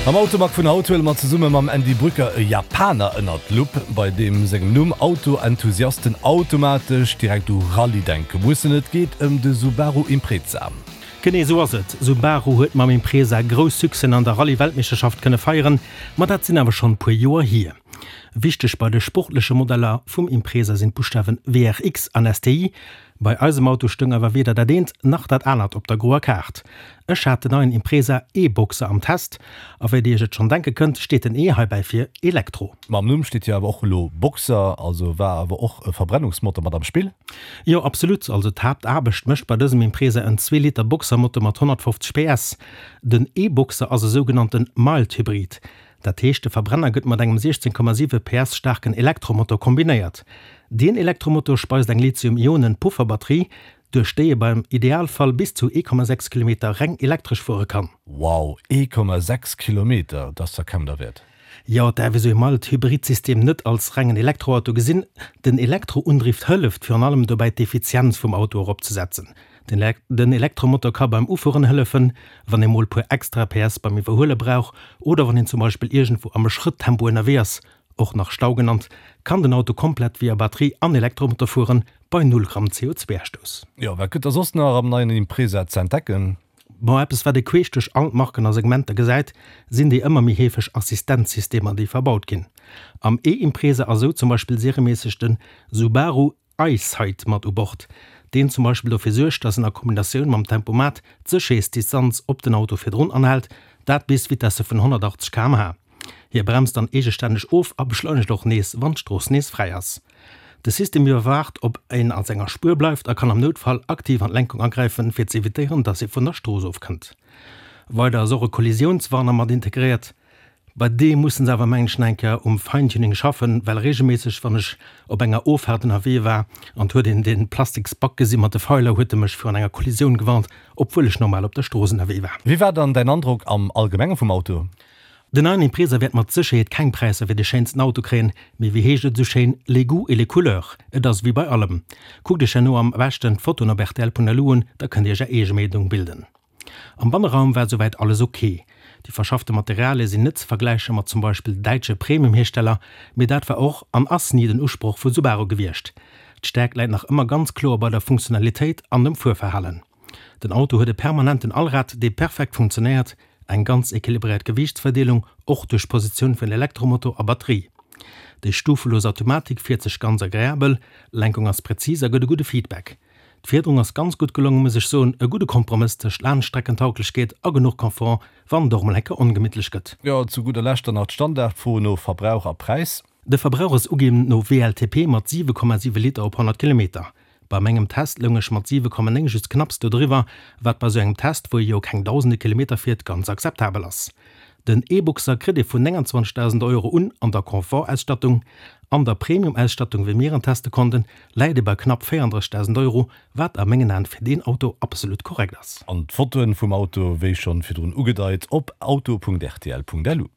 Am Automag vun haut huele mer zesumme mam Andy Brücker e Japaner ënnert d'Lupp, bei deem sengem Numm Auto-Enthusiasten automatesch direkt u Rallye denke mussen. Et geet ëm de Subaru Impreza. Genee esou ass et. Subaru huet mam Impreza grouss Succèsen an der Rallye-Weltmeeschterschaft kënne feieren, ma dat sinn awer schonn puer Joer hier. Wichteg bei de sportleche Modeller vum Impreza sinn d'Buschtawen WRX an STI. Bei eisem Auto stoung awer weder dat eent nach dat anert op der groer Kaart. Ech hat den neien Impreza E-Boxer am Test, a wéi dir iech et schonn denke kënnt, steet den E heibäi fir Elektro. Ma am Numm steet jo awer och elo Boxer, also war awer och e Verbrennungsmotor mat am Spill? Jo, absolut. Also d'Haaptaarbecht mécht bei dësem Impreza en Zweeliter Boxermotor mat 150 PS. Den E-Boxer ass e sougenannte Mild-Hybrid. Dat heescht, de Verbrenner gëtt mat engem 16,7 PS staarken Elektromotor kombinéiert. Deen Elektromotor speist eng Lithium-Ionen-Pufferbatterie, duerch déi ee beim Idealfall bis zu 1,6 Kilometer reng elektresch fuere kann. Wow, 1,6 Kilometer, dat ass der kaum derwäert. Jo, et däerf ee sou ee Mild-Hybrid-System net als rengen Elektroauto gesinn. Den Elektroundrift hëlleft virun allem dobäi d'Effizienz vum Auto eropzesetzen. Den Elektromotor ka beim Ufueren hëllefen, wann ee mol puer extra PS beim Iwwerhuele brauch oder wann een zum Beispill iergendwou am Schrëttempo ënnerwee ass, och nach Stau genannt, kann den Auto komplett via Batterie an Elektromotor fueren, bei null Gramm CO2-Ausstouss. Jo, wat gëtt da soss nach am neien Impreza ze entdecken? Bon, eppes wat ee queesch duerch all d'Marken a Segmenter gesäit, sinn déi ëmmer méi heefeg Assistenzsystemer déi verbaut ginn. Am E-Impreza ass esou zum Beispill serieméisseg de Subaru EyeSight mat u Bord, deen zum Beispill dofir suergt, dass en a Kombinatioun mam Tempomat d'Sécherheetsdistanz op den Auto virdrun anhält, dat bis Vitesse vun 180 km/h. Hie bremst dann eegestänneg of a beschleunegt och nees, wann d'Strooss nees fräi ass. De System iwwerwaacht, ob een a senger Spuer bleift a kann am Noutfall aktiv an d'Lenkung agräifen, fir ze evitéieren, dass ee vun der Strooss ofkënnt. Weider ass och e Kollisiounswarner mat integréiert. Bei deem mussen se awer mengen ech nach eng Kéier um Feintuning schaffen, well regelméisseg wann ech op enger Offaart ënnerwee war an 't huet een dee plastiks Back gesi mat de Feiler, huet e mech virun enger Kollisioun gewarnt, obwuel ech normal op der Strooss ënnerwee war. Wéi war dann däin Androck am Allgemenge vum Auto? Den neien Impreza wäert mat Sécherheet keng Präisser fir de schéinsten Auto kréien, mee wéi heescht et esou schéin, les goûts et les couleurs, et ass wéi bei allem. Kuckt iech herno am beschten d'Fotoen op rtl.lu un, da kënnt dir iech är eege Meenung bilden. Am Banneraum war souwäit alles ok. Déi verschaffte Materialie sinn net ze vergläiche mat zum Beispill däitsche Premium-Hiersteller, mee dat war och an ass ni den Usproch vu Subaru gewiescht. D'Stäerkt läit nach ëmmer ganz kloer bei der Funktionalitéit an dem Fuerverhalen. Den Auto huet e permanenten Allrad, dee perfekt funktionéiert, eng ganz equilibréiert Gewiichtsverdeelung, och duerch d'Positioun vun Elektromotor a Batterie. Déi stufelos Automatik fiert sech ganz agreabel, Lenkung ass präzis a gëtt e gudde Feedback. D'Fiederung ass ganz gutt gelongen, muss ech soen, e gudde Kompromëss tëscht Laangstreckentauglechkeet a genuch Confort, wann et och mol enke ongemittlech gëtt. Jo, zu gudder Lescht dann nach d'Standardfro no Verbrauch a Präis. De Verbrauch ass uginn no WLTP mat 7,7 Liter op 100 Kilometer. Bei mengem Test loung ech mat 7,9 just knapps dodriwwer, wat bei sou engem Test, wou ee jo keng dausende Kilometer fiert, ganz akzeptabel ass. Den E-Boxer kritt ee vun 29.000 Euro un an der Confort-Ausstattung. An der Premium-Ausstattung, wéi mir en teste konnten, läit ee bei knapp 34.000 Euro, wat a mengen Aen fir deen Auto absolut korrekt ass. An d'Fotoen vum Auto, wéi schonn virdrun ugedeit, op auto.rtl.lu.